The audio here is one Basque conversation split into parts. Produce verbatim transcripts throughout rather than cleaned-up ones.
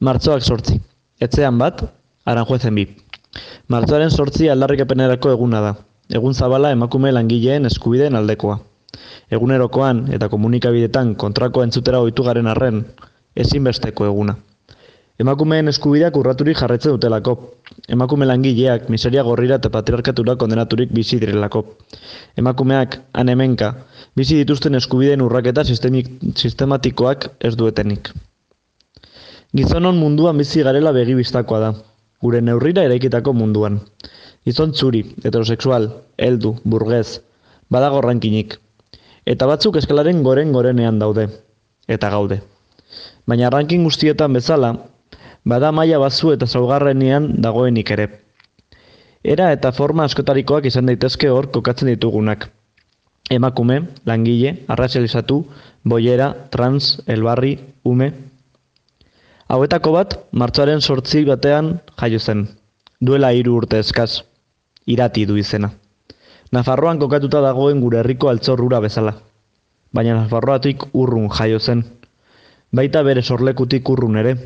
Martxoak sortzi. Etxean bat, Aranjuezen bi. Martxoaren sortzi aldarrikapenerako eguna da. Egun zabala emakume langileen eskubideen aldekoa. Egunerokoan eta komunikabidetan kontrako entzutera ohitu garen arren, ezinbesteko eguna. Emakumeen eskubideak urraturik jarraitzen dutelako. Emakume langileak miseria gorrira eta patriarkatura kondenaturik bizi direlako. Emakumeak, han hemenka, bizi dituzten eskubideen urraketa sistemik, sistematikoak ez duetenik. Gizonon munduan bizi garela begibistakoa da, gure neurrira eraikitako munduan. Gizon txuri, heterosexual, heldu, burgez, badago rankinik. Eta batzuk eskalaren goren gorenean daude, eta gaude. Baina ranking guztietan bezala, bada maila batzu eta zaugarrenean dagoenik ere. Era eta forma askotarikoak izan daitezke hor kokatzen ditugunak. Emakume, langile, arrazializatu, boiera, trans, elbarri, ume. Hauetako bat, martxoaren sortzi batean jaio zen. Duela hiru urte eskaz. Irati du izena. Nafarroan kokatuta dagoen gure herriko altzorrura bezala. Baina Nafarroatik urrun jaio zen. Baita bere sorlekutik urrun ere.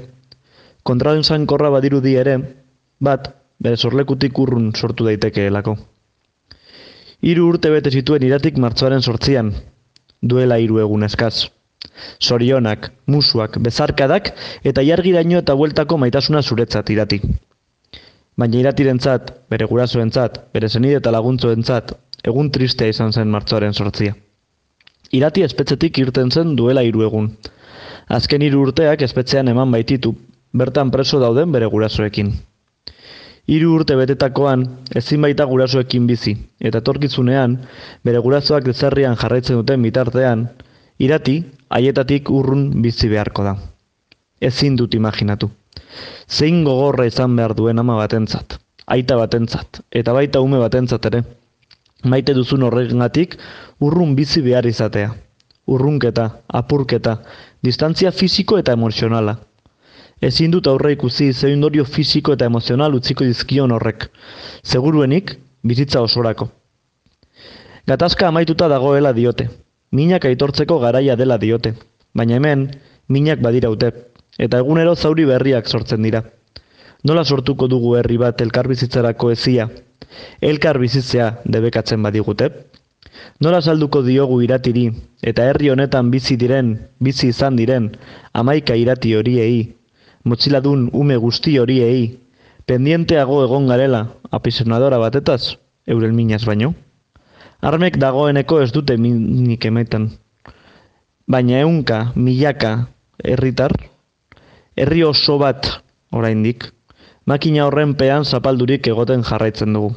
Kontraesankorra badirudi ere, bat, bere sorlekutik urrun sortu daitekeelako. Hiru urte bete zituen Iratik martxoaren sortzian, duela hiru egun eskaz. Zorionak, musuak, bezarkadak eta jargiraino eta bueltako maitasuna zuretzat Irati. Baina Iratirentzat, bere gurasoentzat, bere senide eta laguntzoentzat, egun tristea izan zen martxoaren sortzia. Irati espetxetik irten zen duela hiru egun. Azken hiru urteak espetxean eman baititu, bertan preso dauden bere gurasoekin. Hiru urte betetakoan, ezin baita gurasoekin bizi, eta etorkizunean, bere gurasoak ezerrian jarraitzen duten bitartean, Irati, haietatik urrun bizi beharko da. Ezin dut imaginatu. Zein gogorra izan behar duen ama batentzat, aita batentzat, eta baita ume batentzat ere. Maite duzun horregatik urrun bizi behar izatea. Urrunketa, apurketa, distantzia fisiko eta emozionala. Ezin dut aurre ikusi zein ondorio fisiko eta emozional utziko dizkion horrek. Seguruenik, bizitza osorako. Gatazka amaituta dagoela diote. Minak aitortzeko garaia dela diote. Baina hemen, minak badiraute. Eta egunero zauri berriak sortzen dira. Nola sortuko dugu herri bat elkarbizitzarako ezia? Elkar bizitzea debekatzen badigute? Nola salduko diogu Iratiri, eta herri honetan bizi diren, bizi izan diren, hamaika Irati horiei, motxiladun ume guzti horiei, pendienteago egon garela, apisonadora batetaz, euren minaz baino? Armek dagoeneko ez dute minik ematen. Baina ehunka, milaka, herritar, herri oso bat oraindik, makina horren pean zapaldurik egoten jarraitzen dugu.